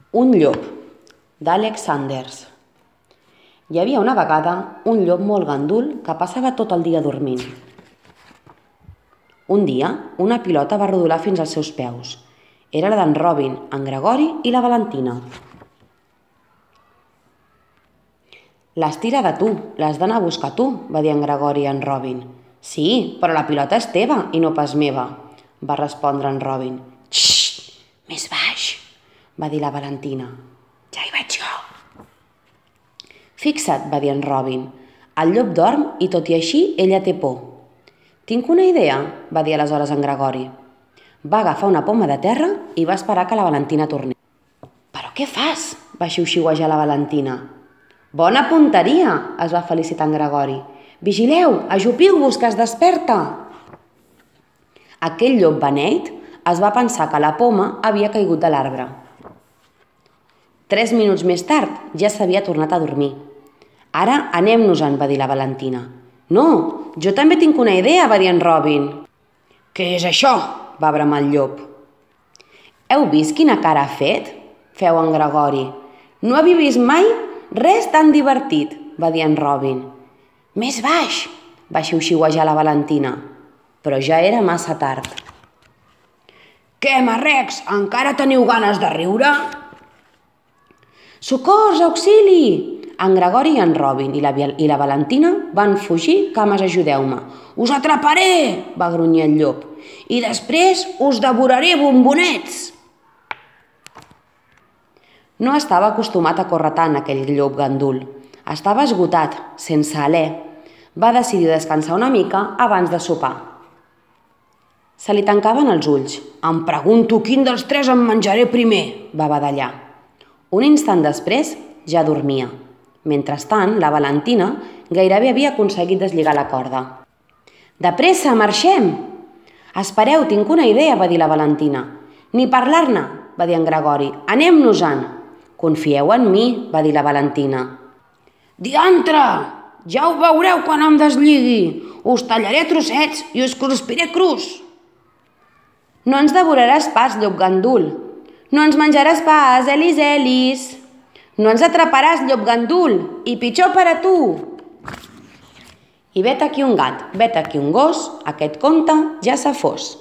Un llop, d'Àlex Sanders. Hi havia una vegada un llop molt gandul que passava tot el dia dormint. Un dia, una pilota va rodolar fins als seus peus. Era la d'en Robin, en Gregori i la Valentina. «L'has tirada tu, l'has d'anar a buscar tu», va dir en Gregori a en Robin. «Sí, però la pilota és teva i no pas meva», va respondre en Robin. «Xxt, més baix», va dir la Valentina. «Ja hi vaig jo». «Fixa't», va dir en Robin, «el llop dorm i tot i així ella té por». «Tinc una idea», va dir aleshores en Gregori. Va agafar una poma de terra i va esperar que la Valentina tornés. «Però què fas?», va xiuxiuejar la Valentina. «Bona punteria», es va felicitar en Gregori. «Vigileu, ajupiu-vos que es desperta». Aquell llop beneit es va pensar que la poma havia caigut de l'arbre. 3 minuts més tard ja s'havia tornat a dormir. «Ara anem-nos-en», va dir la Valentina. «No, jo també tinc una idea», va dir en Robin. «Què és això?», va bramar el llop. «Heu vist quina cara ha fet?», feu en Gregori. «No havia vist mai res tan divertit», va dir en Robin. «Més baix», va xiuxiuejar la Valentina, però ja era massa tard. «Què, marrecs, encara teniu ganes de riure?» «Socors, auxili!» En Gregori i en Robin i la Valentina van fugir cames ajudeu-me. «Us atraparé!», va grunyir el llop, «i després us devoraré, bombonets!» No estava acostumat a córrer tant, aquell llop gandul. Estava esgotat, sense alè. Va decidir descansar una mica abans de sopar. Se li tancaven els ulls. «Em pregunto quin dels 3 em menjaré primer», va badallar. Un instant després ja dormia. Mentrestant, la Valentina gairebé havia aconseguit deslligar la corda. «De pressa, marxem!» «Espereu, tinc una idea», va dir la Valentina. «Ni parlar-ne», va dir en Gregori. «Anem-nos-en». «Confieu en mi», va dir la Valentina. «Diantre! Ja ho veureu quan em deslligui. Us tallaré a trossets i us cruspiré crus». «No ens devoraràs pas, llop gandul». «No ens menjaràs pas, Elis, Elis». «No ens atraparàs, llop gandul, i pitjor per a tu». I vet aquí un gat, vet aquí un gos, aquest conte ja s'ha fos.